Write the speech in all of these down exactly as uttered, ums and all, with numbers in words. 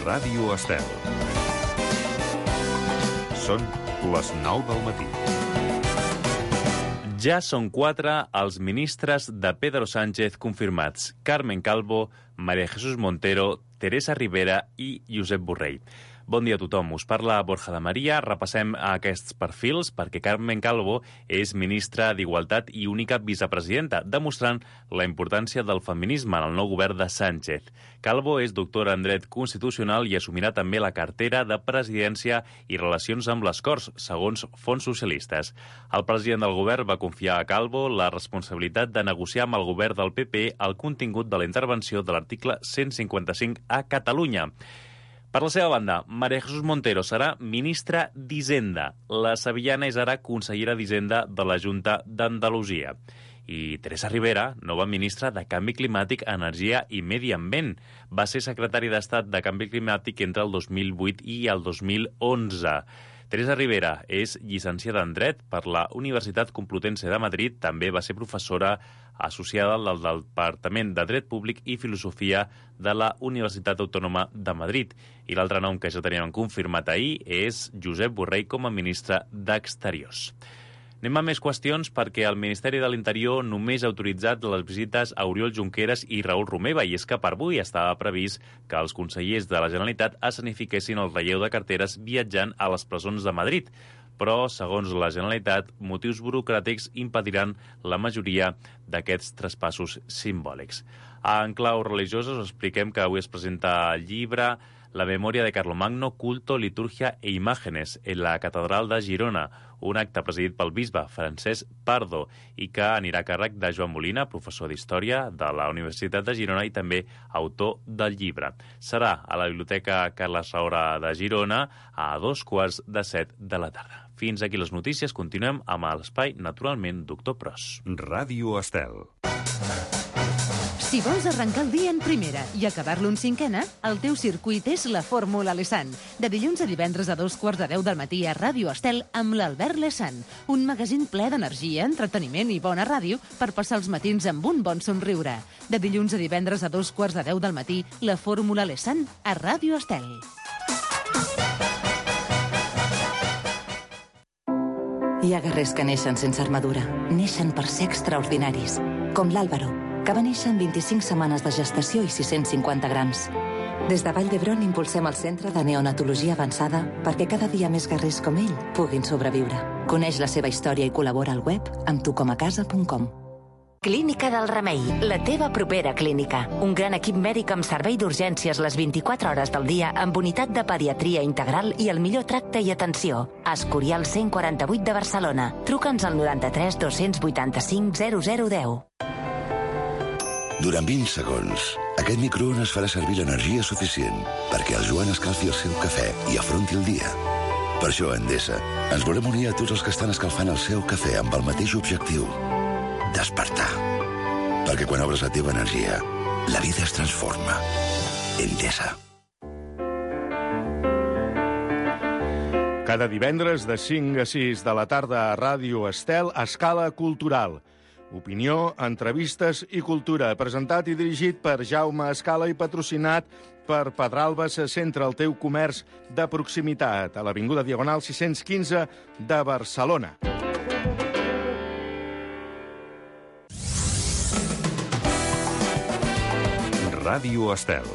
Ràdio Estel. Són les nou del matí. Ja són quatre els ministres de Pedro Sánchez confirmats: Carmen Calvo, María Jesús Montero, Teresa Rivera i Josep Borrell. Bon dia a tothom. Us parla Borja de Maria. Repassem aquests perfils perquè Carmen Calvo és ministra d'Igualtat i única vicepresidenta, demostrant la importància del feminisme en el nou govern de Sánchez. Calvo és doctora en Dret Constitucional i assumirà també la cartera de Presidència i Relacions amb les Corts, segons fonts socialistes. El president del govern va confiar a Calvo la responsabilitat de negociar amb el govern del P P el contingut de la intervenció de l'article cent cinquanta-cinc a Catalunya. Per la seva banda, María Jesús Montero serà ministra d'Hisenda. La sevillana és ara consellera d'Hisenda de la Junta d'Andalusia. I Teresa Rivera, nova ministra de Canvi Climàtic, Energia i Medi Ambient. Va ser secretari d'Estat de Canvi Climàtic entre el dos mil vuit i el dos mil onze. Teresa Rivera és llicenciada en Dret per la Universitat Complutense de Madrid. També va ser professora associada del Departament de Dret Públic i Filosofia de la Universitat Autònoma de Madrid. I l'altre nom que ja teníem confirmat ahir és Josep Borrell com a ministre d'Exteriors. Anem a més qüestions perquè el Ministeri de l'Interior només ha autoritzat les visites a Oriol Junqueras i Raül Romeva, i és que per avui estava previst que els consellers de la Generalitat escenifiquessin el relleu de carteres viatjant a les presons de Madrid. Però, segons la Generalitat, motius burocràtics impediran la majoria d'aquests traspassos simbòlics. En clau religiosa us expliquem que avui es presenta el llibre La memoria de Carlomagno, culto, liturgia e imágenes en la Catedral de Girona, un acte presidit pel bisbe Francesc Pardo i que anirà a càrrec de Joan Molina, professor d'Història de la Universitat de Girona i també autor del llibre. Serà a la Biblioteca Carles Saura de Girona a dos quarts de set de la tarda. Fins aquí les notícies. Continuem amb l'espai, naturalment, Doctor Pros. Ràdio Estel. Si vols arrencar el dia en primera i acabar-lo en cinquena, el teu circuit és la Fórmula Lesan. De dilluns a divendres a dos quarts de deu del matí a Ràdio Estel amb l'Albert Lesan. Un magazín ple d'energia, entreteniment i bona ràdio per passar els matins amb un bon somriure. De dilluns a divendres a dos quarts de deu del matí, la Fórmula Lesan a Ràdio Estel. Hi ha guerrers que neixen sense armadura. Neixen per ser extraordinaris. Com l'Àlvaro, que va néixer en vint-i-cinc setmanes de gestació i sis-cents cinquanta grams. Des de Vall d'Hebron impulsem el Centre de Neonatologia Avançada perquè cada dia més guerrers com ell puguin sobreviure. Coneix la seva història i col·labora al web amb tu com a casa punt com. Clínica del Remei, la teva propera clínica. Un gran equip mèdic amb servei d'urgències les vint-i-quatre hores del dia, amb unitat de pediatria integral i el millor tracte i atenció. Escorial cent quaranta-vuit de Barcelona. Truca'ns al noranta-tres dos-cents vuitanta-cinc zero zero deu. Durant vint segons, aquest microones farà servir l'energia suficient perquè el Joan escalfi el seu cafè i afronti el dia. Per això, a Endesa, ens volem unir a tots els que estan escalfant el seu cafè amb el mateix objectiu: despertar. Perquè quan obres la teva energia, la vida es transforma. Endesa. Cada divendres de cinc a sis de la tarda a Ràdio Estel, Escala Cultural. Opinió, entrevistes i cultura. Presentat i dirigit per Jaume Escala i patrocinat per Pedralbes, centre el teu comerç de proximitat, a l'Avinguda Diagonal sis-cents quinze de Barcelona. Ràdio Estel.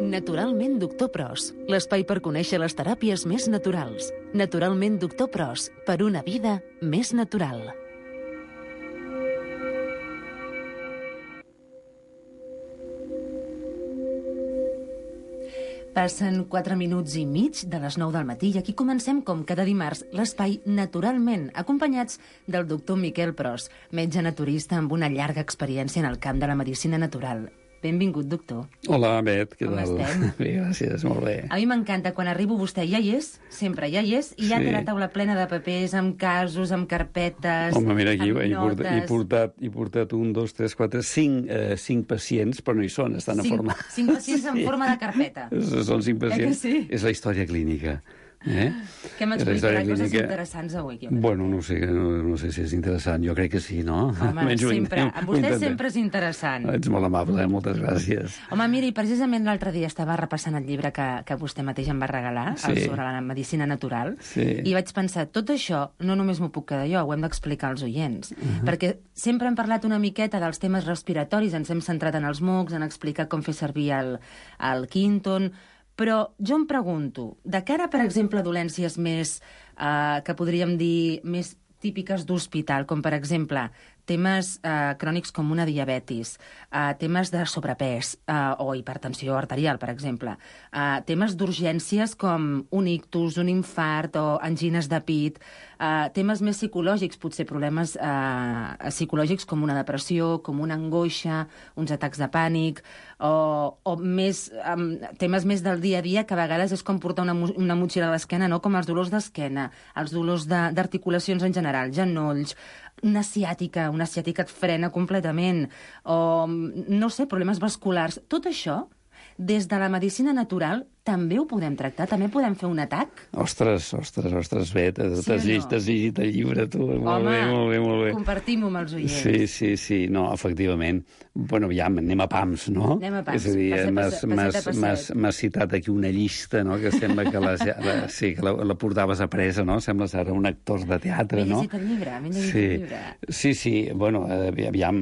Naturalment Doctor Pros, l'espai per conèixer les teràpies més naturals. Naturalment Doctor Pros, per una vida més natural. Passen quatre minuts i mig de les nou del matí i aquí comencem, com cada dimarts, l'espai Naturalment, acompanyats del doctor Miquel Pros, metge naturista amb una llarga experiència en el camp de la medicina natural. Benvingut, doctor. Hola, Bet, què Com tal? estem? Bé, gràcies, molt bé. A mi m'encanta, quan arribo vostè ja hi és, sempre ja hi és, i ja Sí. té la taula plena de papers, amb casos, amb carpetes, Home, mira, aquí amb he, portat, he, notes... portat, he portat un, dos, tres, quatre, cinc, eh, cinc pacients, però no hi són, estan Cinc- a forma... cinc pacients en forma de carpeta. Són cinc Eh que pacients. sí? És la història clínica Eh? Què m'explicarà coses interessants avui? Bueno, no sé, no, no sé si és interessant. Jo crec que sí, no? Home, sempre. A vostè sempre és interessant. Ets molt amable, eh? Moltes gràcies. Home, mira, i precisament l'altre dia estava repassant el llibre que, que vostè mateix em va regalar, sí. el sobre la medicina natural, sí. i vaig pensar, tot això no només m'ho puc quedar jo, ho hem d'explicar als oients. Uh -huh. Perquè sempre hem parlat una miqueta dels temes respiratoris, ens hem centrat en els mocs, en explicar com fer servir el, el Quinton. Però jo em pregunto, de cara, per exemple, a dolències més, eh, que podríem dir, més típiques d'hospital, com per exemple temes eh, crònics com una diabetis, eh, temes de sobrepès eh, o hipertensió arterial, per exemple, eh, temes d'urgències com un ictus, un infart o angines de pit, eh, temes més psicològics, potser problemes eh, psicològics com una depressió, com una angoixa, uns atacs de pànic, o, o més, um, temes més del dia a dia, que a vegades és com portar una, una motxilla a l'esquena, no? Com els dolors d'esquena, els dolors d'articulacions en general, genolls, una ciàtica, una ciàtica et frena completament, o, no sé, problemes vasculars. Tot això, des de la medicina natural, també ho podem tractar? També podem fer un atac? Ostres, ostres, ostres, bé, t'has sí llegit, no? llegit el llibre, tu. Molt Home, bé, molt bé, molt bé. compartim-ho amb els oients. Sí, sí, sí, no, efectivament. Bueno, ja, anem a pams, no? Anem a pams, és a dir, passet, passet, passet. m'has citat aquí una llista, no?, que sembla que la, la, sí, que la, la portaves a presa, no? Sembles ara un actor de teatre, no? M'he llegit el llibre, m'he llegit sí. el llibre. Sí, sí, bueno, aviam,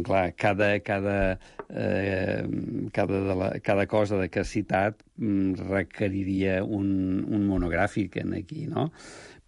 clar, cada, cada, eh, cada, de la, cada cosa de que has citat requeriria un, un monogràfic en aquí, no?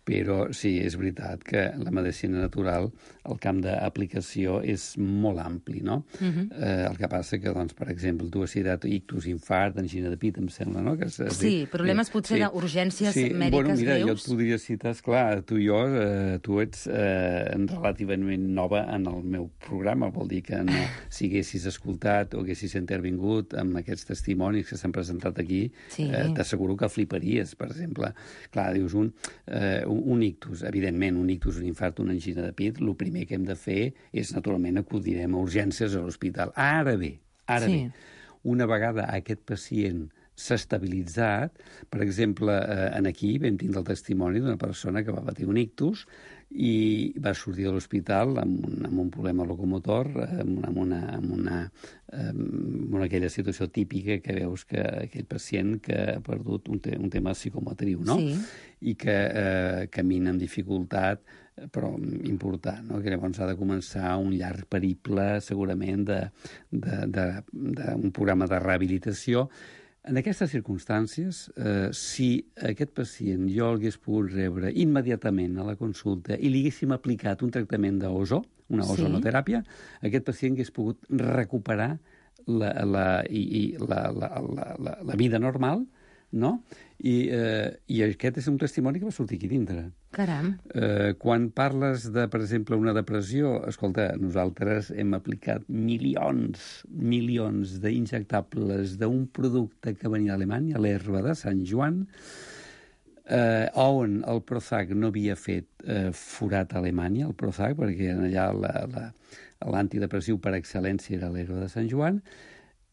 Però sí, és veritat que la medicina natural, el camp d'aplicació és molt ampli, no? Uh-huh. eh, el que passa que, doncs, per exemple, tu has citat ictus, infart, angina de pit, em sembla, no? Que és, sí, dit, problemes potser sí, d'urgències sí, mèdiques bueno, mira, greus. Jo et podria citar, esclar, tu i jo, eh, tu ets eh, relativament nova en el meu programa, vol dir que no, si haguessis escoltat o haguessis intervingut amb aquests testimonis que s'han presentat aquí, sí. eh, t'asseguro que fliparies, per exemple. Clar, dius, un, eh, un ictus, evidentment, un ictus, un infart, una angina de pit, el primer que hem de fer és, naturalment, acudirem a urgències a l'hospital. Ara bé, ara sí. bé, una vegada aquest pacient s'ha estabilitzat, per exemple, eh, en aquí vam tindre el testimoni d'una persona que va patir un ictus i va sortir de l'hospital amb, un, amb un problema locomotor, amb, amb, una, amb, una, amb una aquella situació típica que veus que aquell pacient que ha perdut un, te, un tema psicomotriu, no? Sí. I que eh, camina amb dificultat, però important, no? Que llavors ha de començar un llarg periple, segurament, d'un programa de rehabilitació. En aquestes circumstàncies, eh, si aquest pacient jo l'hagués pogut rebre immediatament a la consulta i li haguéssim aplicat un tractament d'ozo, una ozonoteràpia, sí. aquest pacient hagués pogut recuperar la, la, i, i la, la, la, la, la vida normal, no? I, eh, I aquest és un testimoni que va sortir aquí dintre. Caram. Eh, quan parles de, per exemple, una depressió, escolta, nosaltres hem aplicat milions, milions d'injectables d'un producte que venia d'Alemanya, l'herba de Sant Joan, eh, on el Prozac no havia fet eh, forat a Alemanya, el Prozac, perquè allà l'antidepressiu per excel·lència era l'herba de Sant Joan,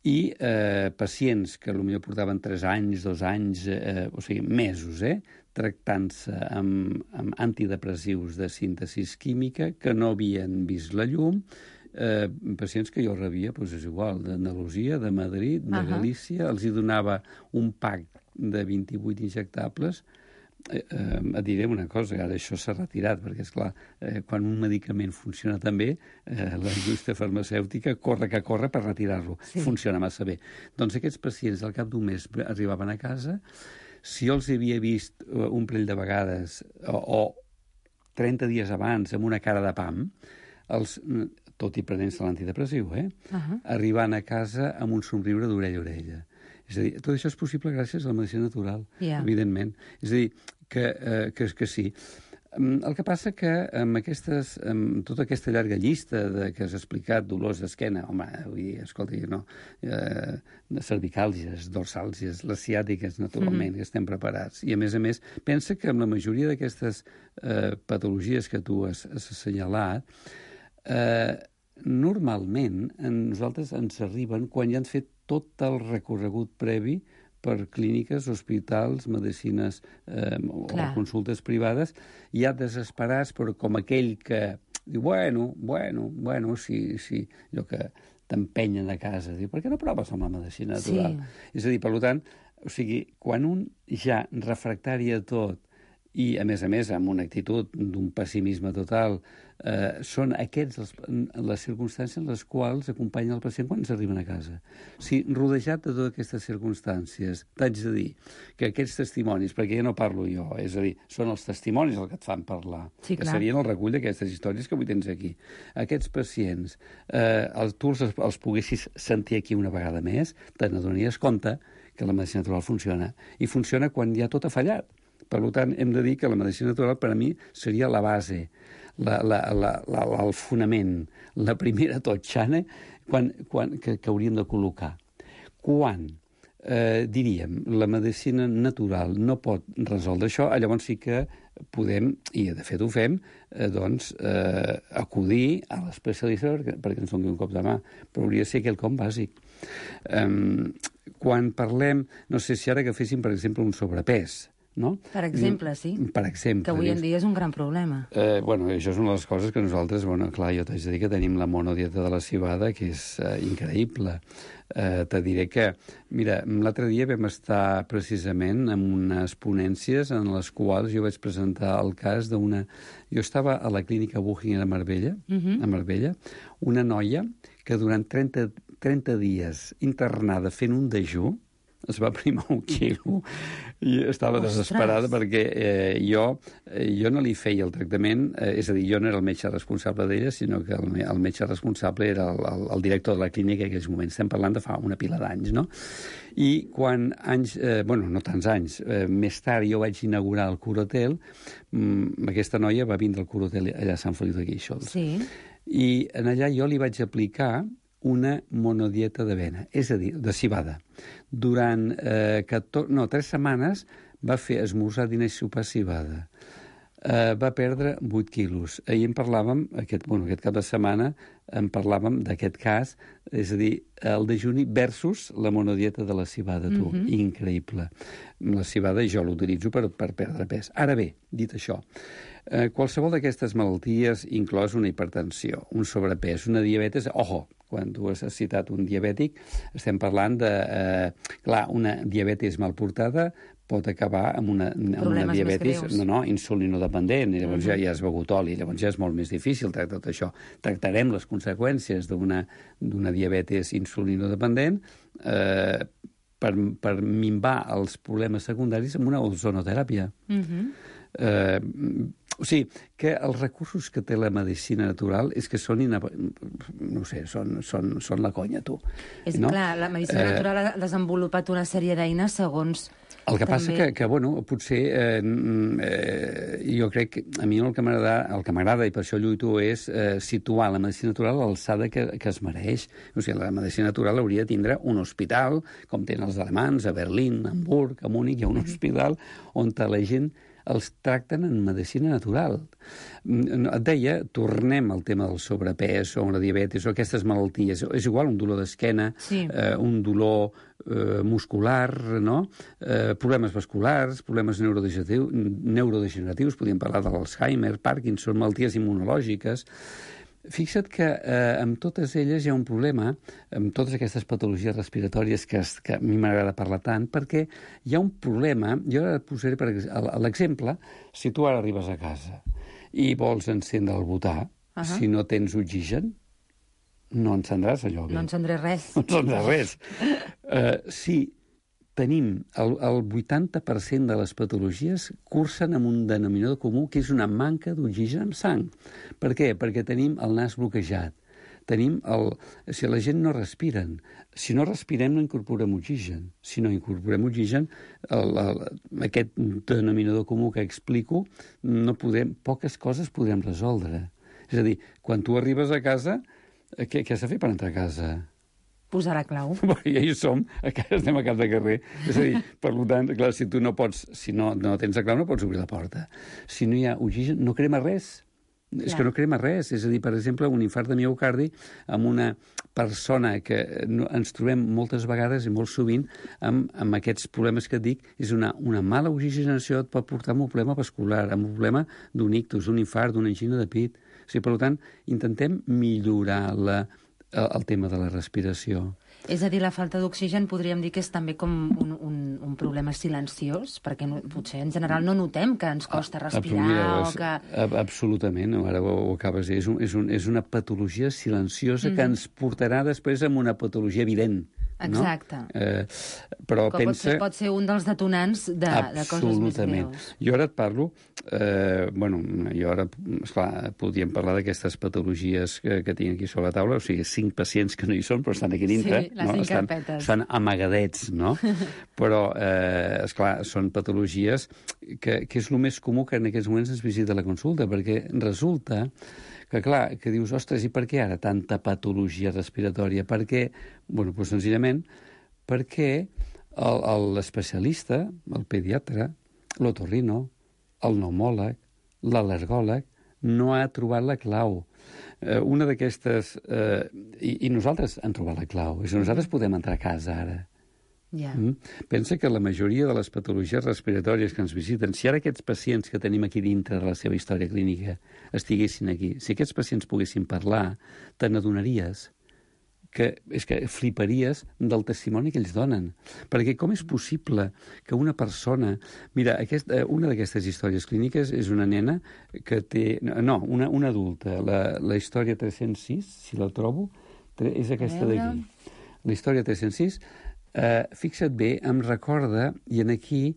i eh, pacients que potser portaven tres anys, dos anys, eh, o sigui, mesos, eh, tractant-se amb, amb antidepressius de síntesis química que no havien vist la llum, eh, pacients que jo rebia, doncs és igual, d'Andalusia, de Madrid, de uh-huh. Galícia, els hi donava un pack de vint-i-vuit injectables. Eh, eh, et diré una cosa, ara això s'ha retirat, perquè, esclar, eh, quan un medicament funciona tan bé, eh, la indústria farmacèutica corre que corre per retirar-lo. Sí. Funciona massa bé. Doncs aquests pacients al cap d'un mes arribaven a casa, si jo els havia vist un parell de vegades o, o trenta dies abans amb una cara de pam, els, tot i prenent-se l'antidepressiu, eh? Uh-huh. Arribant a casa amb un somriure d'orella a orella. És a dir, tot això és possible gràcies a la medicina natural, yeah. evidentment. És a dir, que, eh, que, que sí. El que passa que amb, aquestes, amb tota aquesta llarga llista de, que has explicat, dolors d'esquena, home, vull dir, escolta, no, eh, cervicàlgies, dorsàlgies, les ciàtiques, naturalment, mm-hmm. que estem preparats. I, a més a més, pensa que amb la majoria d'aquestes eh, patologies que tu has, has assenyalat, eh, normalment a nosaltres ens arriben quan ja han fet tot el recorregut previ per clíniques, hospitals, medicines eh, o consultes privades, ja desesperats, però com aquell que diu, bueno, bueno, bueno, sí, sí, allò que t'empenyen a casa, diu, per què no proves amb la medicina natural? Sí. És a dir, per tant, o sigui, quan un ja refractari a tot i, a més a més, amb una actitud d'un pessimisme total, eh, són aquests els, les circumstàncies en les quals acompanya el pacient quan s'arriben a casa. O sigui, rodejat de totes aquestes circumstàncies, t'haig de dir que aquests testimonis, perquè ja no parlo jo, és a dir, són els testimonis els que et fan parlar, sí, que serien el recull d'aquestes històries que avui tens aquí. Aquests pacients, eh, els, tu els, els poguessis sentir aquí una vegada més, te n'adonaries compte que la medicina natural funciona. I funciona quan ja tot ha fallat. Per tant, hem de dir que la medicina natural per a mi seria la base, la, la, la, la, el fonament, la primera totxana quan, quan, que, que hauríem de col·locar. Quan, eh, diríem, la medicina natural no pot resoldre això, llavors sí que podem, i de fet ho fem, eh, doncs, eh, acudir a l'especialista perquè, perquè ens doni un cop de mà, però hauria de ser quelcom bàsic. Um, quan parlem, no sé si ara agaféssim, per exemple, un sobrepès, no? Per exemple, sí. Per exemple. Que avui en dia és un gran problema. Eh, bueno, això és una de les coses que nosaltres, bueno, clar, jo t'haig de dir que tenim la monodieta de la cibada, que és eh, increïble. Eh, te diré que, mira, l'altre dia vam estar precisament en unes ponències en les quals jo vaig presentar el cas d'una... Jo estava a la clínica Buchinger a Marbella, uh-huh. a Marbella, una noia que durant trenta, trenta dies internada fent un dejú, es va primar un quilo i estava Ostres. desesperada perquè eh, jo, eh, jo no li feia el tractament, eh, és a dir, jo no era el metge responsable d'ella, sinó que el, el metge responsable era el, el, el director de la clínica en aquells moments. Estem parlant de fa una pila d'anys, no? I quan anys, eh, bueno, no tants anys, eh, més tard jo vaig inaugurar el Curatel, mmm, aquesta noia va vindre al Curatel allà a Sant Feliu de Guíxols. Sí. I en allà jo li vaig aplicar una monodieta d'avena, és a dir, de cibada. Durant eh, catorze, no, tres setmanes va fer esmorzar, dinar i sopar cibada. Eh, va perdre vuit quilos. Ahir en parlàvem, aquest, bueno, aquest cap de setmana, en parlàvem d'aquest cas, és a dir, el dejuni versus la monodieta de la cibada, tu. Mm-hmm. Increïble. La cibada jo l'utilitzo per, per perdre pes. Ara bé, dit això, eh, qualsevol d'aquestes malalties, inclòs una hipertensió, un sobrepès, una diabetes, ojo, quan tu has citat un diabètic, estem parlant de... Eh, clar, una diabetis mal portada pot acabar amb una, amb una diabetis no, no, insulinodependent, i llavors uh-huh. ja, ja has begut oli, llavors ja és molt més difícil tractar tot això. Tractarem les conseqüències d'una, d'una diabetis insulinodependent eh, per, per minvar els problemes secundaris amb una ozonoteràpia. Uh-huh. Eh, o sigui, que els recursos que té la medicina natural és que són, inab... no sé, són, són, són la conya, tu. És no? clar, la medicina eh... natural ha desenvolupat una sèrie d'eines segons... El que també... passa que, que bueno, potser eh, eh, jo crec que a mi el que m'agrada, el que m'agrada i per això lluito és eh, situar la medicina natural a l'alçada que, que es mereix. O sigui, la medicina natural hauria de tindre un hospital, com tenen els alemans, a Berlín, a Hamburg, a Múnich, hi ha un hospital on la gent els tracten en medicina natural. Et deia, tornem al tema del sobrepès o la diabetis o aquestes malalties. És igual, un dolor d'esquena, sí. eh, un dolor eh, muscular, no? eh, problemes vasculars, problemes neurodegeneratius, neurodegeneratius, podríem parlar de l'Alzheimer, Parkinson, malalties immunològiques. Fixa't que eh, amb totes elles hi ha un problema, amb totes aquestes patologies respiratòries que, es, que a mi m'agrada parlar tant, perquè hi ha un problema, jo ara et posaré per l'exemple, si tu ara arribes a casa i vols encendre el butà, uh-huh. si no tens oxigen, no encendràs allò bé. No encendré res. No encendràs res. uh, si tenim el, el vuitanta per cent de les patologies cursen amb un denominador comú, que és una manca d'oxigen en sang. Per què? Perquè tenim el nas bloquejat. Tenim el... Si la gent no respiren, si no respirem no incorporem oxigen. Si no incorporem oxigen, el, el, aquest denominador comú que explico, no podem, poques coses podrem resoldre. És a dir, quan tu arribes a casa, què, què has de fer per entrar a casa? Posar la clau. I ja hi som, estem a cap de carrer. És a dir, per tant, clar, si tu no pots, si no, no tens la clau, no pots obrir la porta. Si no hi ha oxigen, no crema res. Clar. És que no crema res. És a dir, per exemple, un infart de miocardi amb una persona que no, ens trobem moltes vegades i molt sovint amb, amb aquests problemes que et dic, és una, una mala oxigenació et pot portar a un problema vascular, a un problema d'un ictus, un infart, d'una angina de pit. O sigui, per tant, intentem millorar la, el, el tema de la respiració. És a dir, la falta d'oxigen podríem dir que és també com un, un, un problema silenciós, perquè no, potser en general no notem que ens costa respirar Mira, o que... Absolutament, ara ho, ho acabes de dir. És, un, és, un, és una patologia silenciosa mm. que ens portarà després a una patologia evident. Exacte. No? Eh, però que pensa... pot ser un dels detonants de, de coses més greus. Jo ara et parlo... Eh, bueno, jo ara, esclar, podríem parlar d'aquestes patologies que, que tinc aquí sobre la taula, o sigui, cinc pacients que no hi són, però estan aquí dintre. Sí, les no? cinc estan, carpetes. estan amagadets, no? Però, eh, esclar, són patologies que, que és el més comú que en aquests moments ens visita la consulta, perquè resulta que, clar, que dius, ostres, i per què ara tanta patologia respiratòria? Per què? Bueno, doncs senzillament perquè l'especialista, el pediatre, l'otorrino, el pneumòleg, l'al·lergòleg, no ha trobat la clau. Eh, una d'aquestes... Eh, i, I nosaltres hem trobat la clau. És a nosaltres podem entrar a casa ara. Yeah. Mm? Pensa que la majoria de les patologies respiratòries que ens visiten, si ara aquests pacients que tenim aquí dintre de la seva història clínica estiguessin aquí, si aquests pacients poguessin parlar, te n'adonaries que és que fliparies del testimoni que ells donen. Perquè com és possible que una persona... Mira, aquest, una d'aquestes històries clíniques és una nena que té... No, una, una adulta. La, la història tres-cents sis, si la trobo, és aquesta d'aquí. La història tres-cents sis, eh, fixa't bé, em recorda, i en aquí...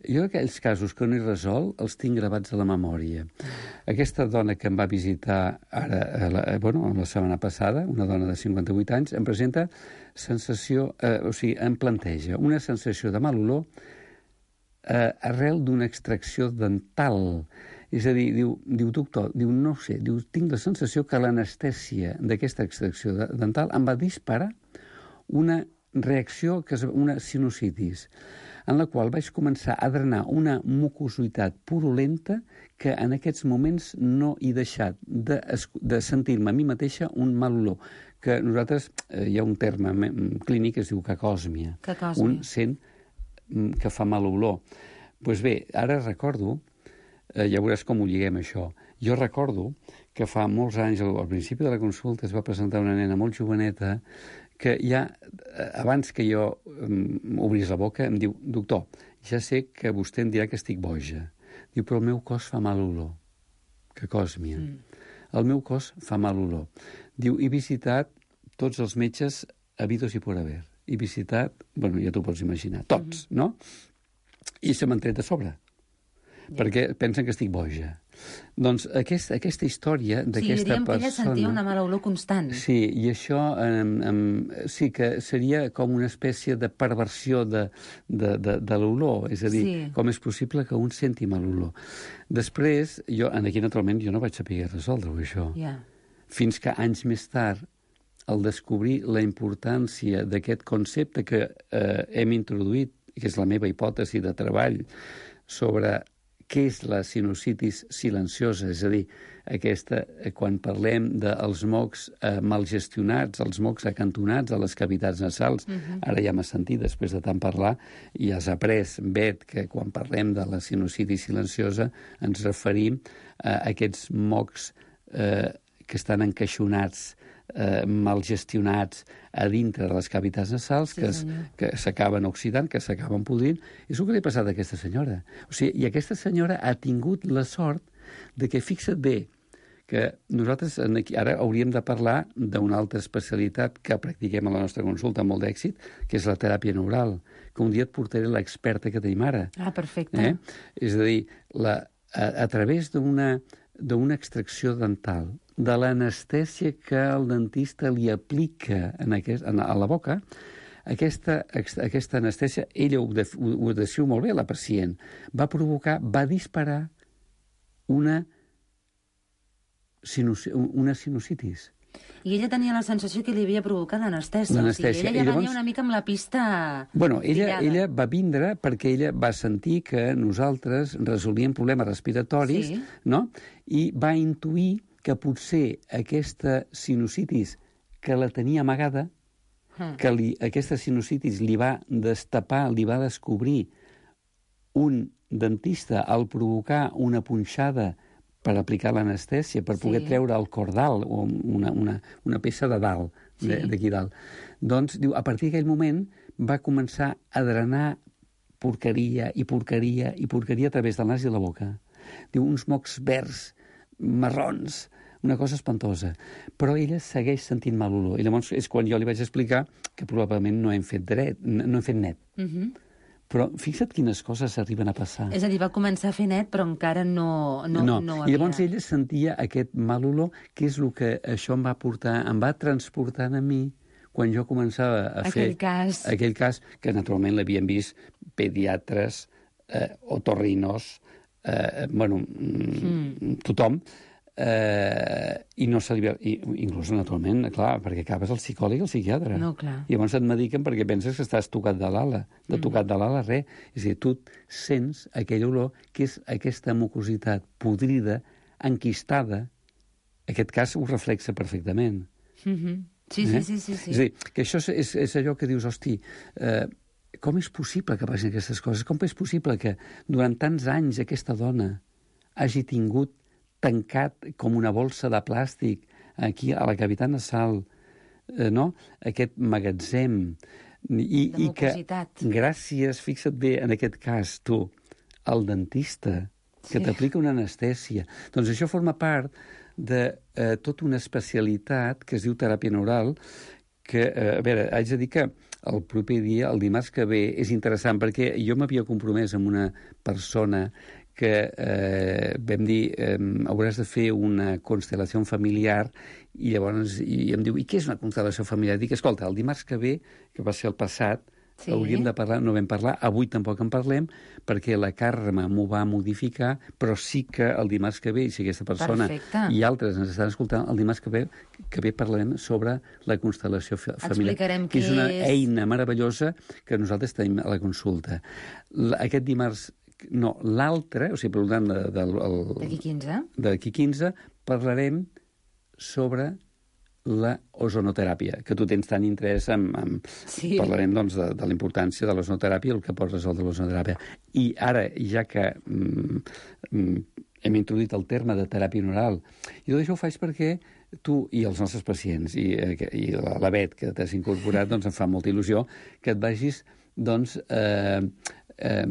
Jo aquells casos que no he resolt els tinc gravats a la memòria. Aquesta dona que em va visitar ara, la, bueno, la setmana passada, una dona de cinquanta-vuit anys, em presenta sensació, eh, o sigui, em planteja una sensació de mal olor eh, arrel d'una extracció dental. És a dir, diu, diu doctor, diu, no sé, diu, tinc la sensació que l'anestèsia d'aquesta extracció de, dental em va disparar una reacció, que és una sinusitis, en la qual vaig començar a drenar una mucositat purulenta que en aquests moments no he deixat de, de sentir-me a mi mateixa un mal olor. Que nosaltres, eh, hi ha un terme clínic que es diu cacòsmia. Cacòsmia. Un sent que fa mal olor. Doncs pues bé, ara recordo, eh, ja veuràs com ho lliguem això, jo recordo que fa molts anys, al, al principi de la consulta, es va presentar una nena molt joveneta que ja, abans que jo um, obrís la boca, em diu, doctor, ja sé que vostè em dirà que estic boja. Diu, però el meu cos fa mal olor. Cacòsmia. Mm. El meu cos fa mal olor. Diu, he visitat tots els metges habidos i por haver. He visitat, bueno, ja t'ho pots imaginar, tots, mm-hmm. no? I se m'han tret de sobre. Yeah. Perquè pensen que estic boja. Doncs aquest, aquesta història d'aquesta persona... Sí, diríem que ella sentia una mala olor constant. Sí, i això um, um, sí que seria com una espècie de perversió de, de, de, de l'olor. És a dir, sí. Com és possible que un senti mal olor. Després, jo, aquí naturalment, jo no vaig saber resoldre-ho, això. Yeah. Fins que anys més tard, al descobrir la importància d'aquest concepte que eh, hem introduït, que és la meva hipòtesi de treball, sobre què és la sinusitis silenciosa, és a dir, aquesta, quan parlem dels mocs eh, mal gestionats, els mocs acantonats a les cavitats nasals, uh-huh. Ara ja m'has sentit, després de tant parlar, i has après, Bet, que quan parlem de la sinusitis silenciosa ens referim a aquests mocs eh, que estan encaixonats, eh, mal gestionats a dintre de les cavitats nasals, sí, que, que s'acaben oxidant, que s'acaben podrint. És el que li ha passat a aquesta senyora. O sigui, i aquesta senyora ha tingut la sort de que, fixa't bé, que nosaltres aquí, ara hauríem de parlar d'una altra especialitat que practiquem a la nostra consulta amb molt d'èxit, que és la teràpia neural, que un dia et portaré l'experta que tenim ara. Ah, perfecte. Eh? És a dir, la, a, a través d'una d'una extracció dental, de l'anestèsia que el dentista li aplica en aquest, en, a la boca, aquesta, aquesta anestèsia, ella ho, ho, ho descriu molt bé, la pacient, va provocar, va disparar una, sinus, una sinusitis. I ella tenia la sensació que li havia provocat l'anestèsia. L'anestèsia. O sigui, ella ja I llavors... venia una mica amb la pista... Bueno, ella, pillada. ella va vindre perquè ella va sentir que nosaltres resolvíem problemes respiratoris, Sí. no? I va intuir que potser aquesta sinusitis que la tenia amagada, Mm. que li, aquesta sinusitis li va destapar, li va descobrir un dentista al provocar una punxada per aplicar l'anestèsia, per Sí. poder treure el cordal, o una, una, una peça de dalt, Sí. d'aquí dalt. Doncs, diu, a partir d'aquell moment va començar a drenar porqueria i porqueria i porqueria a través del nas i la boca. Diu, uns mocs verds, marrons, una cosa espantosa. Però ella segueix sentint mal olor. I llavors és quan jo li vaig explicar que probablement no hem fet dret, no hem fet net. Uh -huh. Però fixa't quines coses arriben a passar. És a dir, va començar a fer net, però encara no, no, no, no havia... I llavors ella sentia aquest mal olor, que és el que això em va portar, em va transportant a mi quan jo començava a Aquell fer... cas. Aquell cas, que naturalment l'havien vist pediatres, eh, otorrinos, eh, bueno, mm. tothom, eh, i no se li ve... I, inclús, naturalment, clar, perquè acabes el psicòleg i el psiquiatre. No, clar. I llavors et mediquen perquè penses que estàs tocat de l'ala. De tocat de l'ala, res. És a dir, tu sents aquell olor que és aquesta mucositat podrida, enquistada. Aquest cas ho reflexa perfectament. Mm -hmm. Sí, Eh? sí, sí, sí, sí. És a dir, que això és, és, és allò que dius, hosti, eh, com és possible que passin aquestes coses? Com és possible que durant tants anys aquesta dona hagi tingut tancat com una bolsa de plàstic aquí a la cavitat nasal, eh, no? Aquest magatzem, i, De i que mucositat. gràcies, fixa't bé, en aquest cas, tu, el dentista, que Sí. t'aplica una anestèsia. Doncs això forma part de eh, tota una especialitat que es diu teràpia neural, que, eh, a veure, haig de dir que el proper dia, el dimarts que ve, és interessant, perquè jo m'havia compromès amb una persona que eh, vam dir, eh, hauràs de fer una constel·lació familiar, i llavors i em diu, i què és una constel·lació familiar? Dic, escolta, el dimarts que ve, que va ser el passat, Sí. hauríem de parlar, no vam parlar, avui tampoc en parlem, perquè la Carme m'ho va modificar, però sí que el dimarts que ve, si aquesta persona Perfecte. i altres ens estan escoltant, el dimarts que ve, que ve parlarem sobre la constel·lació fa- familiar, Explicarem que és què una és. eina meravellosa que nosaltres tenim a la consulta. L- Aquest dimarts, no, l'altre, o sigui, per tant, de, de, el- D'aquí quinze. d'aquí quinze, parlarem sobre la ozonoteràpia, que tu tens tant interès en... en Sí. Parlarem, doncs, de, de la importància de l'ozonoteràpia, el que pot resoldre l'ozonoteràpia. I ara, ja que mm, mm, hem introduït el terme de teràpia neural, i tot això ho faig perquè tu i els nostres pacients, i, eh, que- i la, la Bet, que t'has incorporat, doncs em fa molta il·lusió que et vagis, doncs, eh, eh,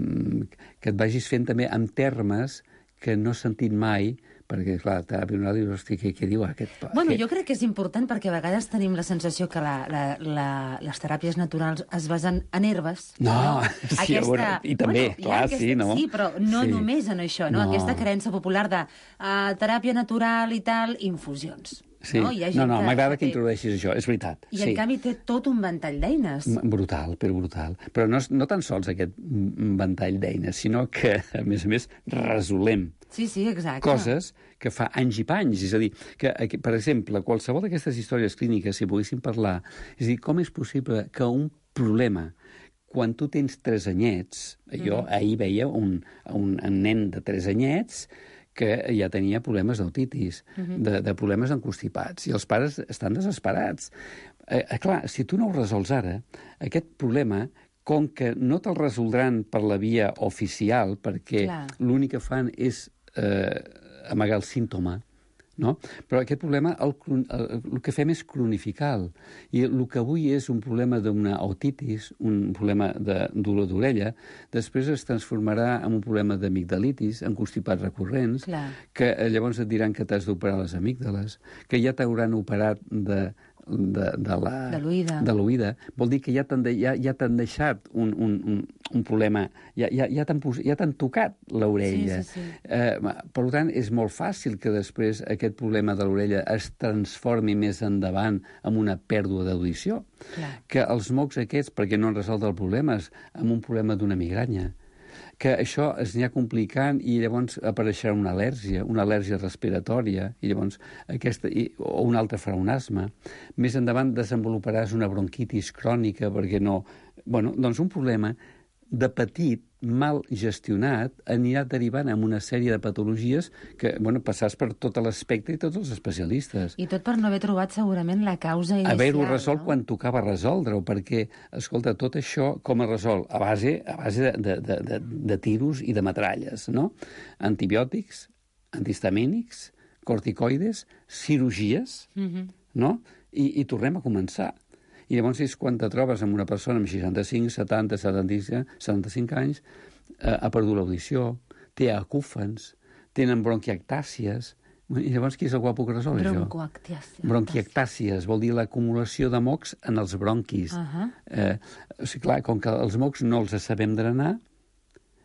que et vagis fent també amb termes que no has sentit mai, perquè, clar, teràpia neural, dius, hosti, què, què diu aquest? Bueno, Què- jo crec que és important perquè a vegades tenim la sensació que la, la, la, les teràpies naturals es basen en herbes. No, sí, bueno, i també, hi ha clar, aquesta, sí, no? Sí, però no Sí. només en això, no? No. Aquesta creença popular de uh, teràpia natural i tal, infusions. Sí. No, Hi ha no, gent no, m'agrada que té- introdueixis això, és veritat. I, sí. en canvi, té tot un ventall d'eines. M- Brutal, però brutal. Però no, és- no tan sols aquest mm, ventall d'eines, sinó que, a més a més, resolem Sí, sí, exacte. coses que fa anys i panys. És a dir, que, que per exemple, qualsevol d'aquestes històries clíniques, si poguéssim parlar, és a dir, com és possible que un problema, quan tu tens tres anyets, jo Mhm. ahir veia un, un, un nen de tres anyets que ja tenia problemes d'autitis, Mhm. de, de problemes encostipats, i els pares estan desesperats. Eh, eh, clar, si tu no ho resols ara, aquest problema, com que no te'l resoldran per la via oficial, perquè Clar. l'únic que fan és eh, amagar el símptoma, no? Però aquest problema el, cron- el, el que fem és cronificar-lo. I el que avui és un problema d'una otitis, un problema de dolor d'orella, després es transformarà en un problema d'amigdalitis, en constipats recurrents, Clar. que eh, llavors et diran que t'has d'operar les amígdales, que ja t'hauran operat de, de, de la... De l'oïda. De l'oïda. Vol dir que ja t'han de, ja, ja t'han deixat un, un, un, un problema, ja, ja, ja t'han pos- ja t'han tocat l'orella. Sí, sí, sí. Eh, per tant, és molt fàcil que després aquest problema de l'orella es transformi més endavant en una pèrdua d'audició. Clar. Que els mocs aquests, perquè no han resolt el problema, és amb un problema d'una migranya. que això es anirà complicant i llavors apareixerà una al·lèrgia, una al·lèrgia respiratòria, i llavors aquesta, i, o un altre farà un asma. Més endavant desenvoluparàs una bronquitis crònica perquè no... Bueno, doncs un problema de petit, mal gestionat, anirà derivant en una sèrie de patologies que, bueno, passàs per tot l'espectre i tots els especialistes. I tot per no haver trobat segurament la causa inicial. Haver-ho resolt no? quan tocava resoldre-ho, perquè, escolta, tot això com es resol? A base, a base de, de, de, de tiros i de metralles, no? Antibiòtics, antihistamínics, corticoides, cirurgies, mm-hmm. no? I, I tornem a començar. I llavors és quan te trobes amb una persona amb seixanta-cinc, setanta, setanta-cinc anys, eh, ha perdut l'audició, té acúfens, tenen bronquiectàcies. I llavors qui és el guapo que resol això? Bronquiectàcies. Bronquiectàcies vol dir l'acumulació de mocs en els bronquis. Uh -huh. eh, o sigui, clar, com que els mocs no els sabem drenar,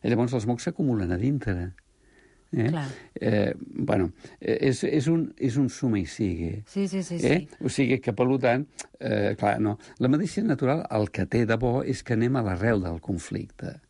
llavors els mocs s'acumulen a dintre. Eh? Eh, bueno, és, és, un, és un suma i sigue. Sí, sí, sí. Eh? sí. O sigui que, per tant, eh, clar, no. La medicina natural el que té de bo és que anem a l'arrel del conflicte.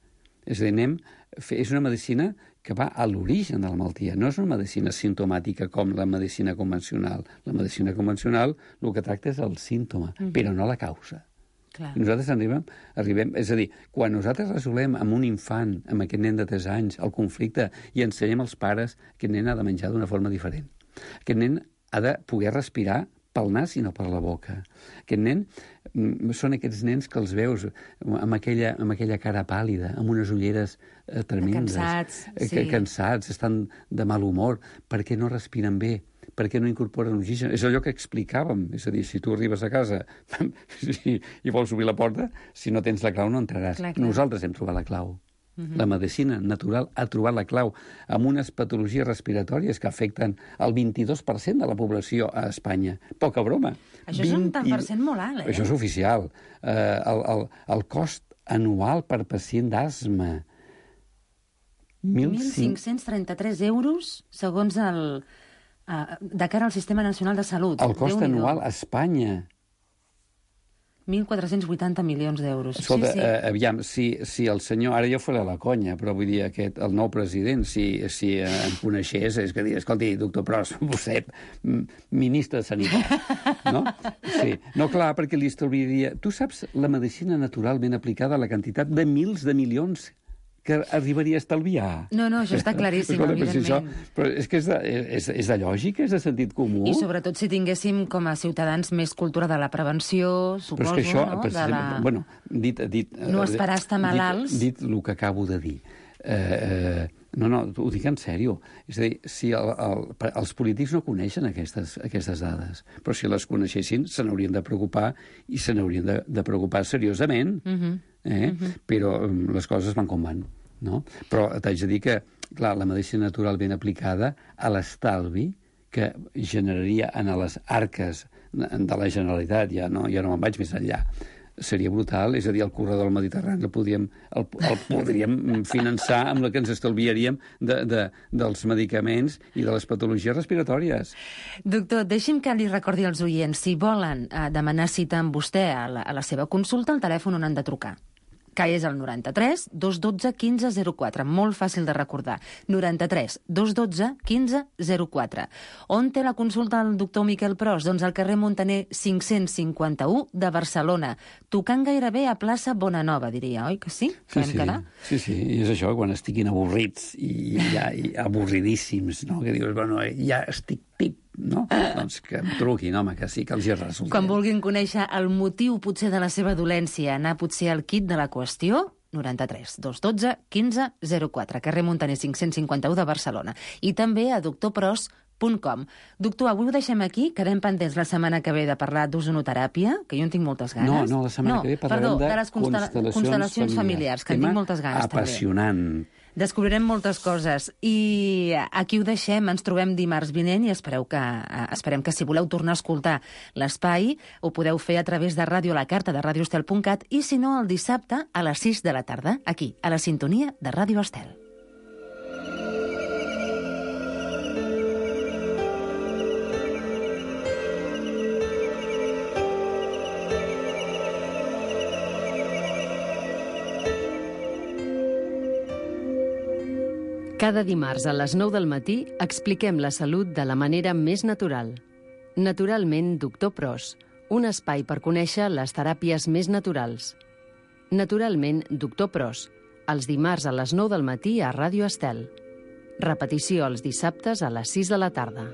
És a dir, anem, és una medicina que va a l'origen de la malaltia. No és una medicina simptomàtica com la medicina convencional. La medicina convencional el que tracta és el símptoma, mm-hmm. però no la causa. Clar. Nosaltres arribem, arribem... És a dir, quan nosaltres resolem amb un infant, amb aquest nen de tres anys, el conflicte, i ensenyem als pares, aquest nen ha de menjar d'una forma diferent. Aquest nen ha de poder respirar pel nas i no per la boca. Aquest nen són aquests nens que els veus amb aquella, amb aquella cara pàl·lida, amb unes ulleres eh, tremendes. Cansats, eh, sí. Cansats, estan de mal humor, perquè no respiren bé, perquè no incorporen oxigen. És allò que explicàvem. És a dir, si tu arribes a casa i, i vols obrir la porta, si no tens la clau no entraràs. Clar, clar. Nosaltres hem trobat la clau. Uh-huh. La medicina natural ha trobat la clau amb unes patologies respiratòries que afecten el vint-i-dos per cent de la població a Espanya. Poca broma. Això és un tant per cent molt alt, eh? Això és oficial. Eh, el, el, el cost anual per pacient d'asma. mil cinc-cents trenta-tres euros, segons el... Uh, de cara al Sistema Nacional de Salut. El cost anual a Espanya. mil quatre-cents vuitanta milions d'euros. Escolta, sí, sí. Eh, aviam, si, si el senyor... Ara jo faré la conya, però vull dir, aquest, el nou president, si, si eh, em coneixés, és que dir, escolti, doctor Pros, vostè, ministre de Sanitat, no? Sí. No, clar, perquè li estalviaria... Tu saps la medicina natural ben aplicada, la quantitat de mils de milions que arribaria a estalviar. No, no, això està claríssim, Escolta, evidentment. Però, si això, però és que és de, és, és de lògica, és de sentit comú. I sobretot si tinguéssim com a ciutadans més cultura de la prevenció, suposo, però és que això, no? Per de la... bueno, dit, dit, no esperar estar malalts. Dit, dit el que acabo de dir. Eh, eh, no, no, ho dic en sèrio. És a dir, si el, el, els polítics no coneixen aquestes, aquestes dades, però si les coneixessin se n'haurien de preocupar i se n'haurien de, de preocupar seriosament. Uh-huh. Eh? Uh-huh. Però um, les coses van com van. No? Però t'haig de dir que, clar, la medicina natural ben aplicada a l'estalvi que generaria en les arques de la Generalitat, ja no, ja no me'n vaig més enllà, seria brutal. És a dir, el corredor del Mediterrani el podríem, el, el podríem finançar amb la que ens estalviaríem de, de, dels medicaments i de les patologies respiratòries. Doctor, deixi'm que li recordi als oients, si volen eh, demanar cita amb vostè a la, a la seva consulta, el telèfon on han de trucar, que és el noranta-tres dos dotze quinze zero quatre. Molt fàcil de recordar. noranta-tres dos dotze quinze zero quatre. On té la consulta el doctor Miquel Pros? Doncs al carrer Montaner cinc-cents cinquanta-u de Barcelona, tocant gairebé a plaça Bonanova, diria, oi que sí? Sí, sí, sí, sí, i és això, quan estiguin avorrits i, ja, i avorridíssims, no? Que dius, bueno, ja estic tip, no? Doncs que em truquin, home, que sí, que els hi resulta. Quan vulguin conèixer el motiu potser de la seva dolència, anar potser al quid de la qüestió, noranta-tres dos dotze quinze zero quatre, carrer Montaner cinc-cents cinquanta-u de Barcelona. I també a doctor pros punt com. Doctor, avui ho deixem aquí, quedem pendents la setmana que ve de parlar d'ozonoteràpia, que jo en tinc moltes ganes. No, no, la setmana no, que ve parlarem perdó, de, de les constel·la constel·lacions, constel·lacions familiars, que en tinc moltes ganes apassionant. també. Descobrirem moltes coses i aquí ho deixem, ens trobem dimarts vinent i espereu que, esperem que si voleu tornar a escoltar l'espai ho podeu fer a través de Ràdio La Carta de radio estel punt cat i si no el dissabte a les sis de la tarda, aquí, a la sintonia de Ràdio Estel. Cada dimarts a les nou del matí expliquem la salut de la manera més natural. Naturalment, doctor Pros, un espai per conèixer les teràpies més naturals. Naturalment, doctor Pros, els dimarts a les nou del matí a Ràdio Estel. Repetició els dissabtes a les sis de la tarda.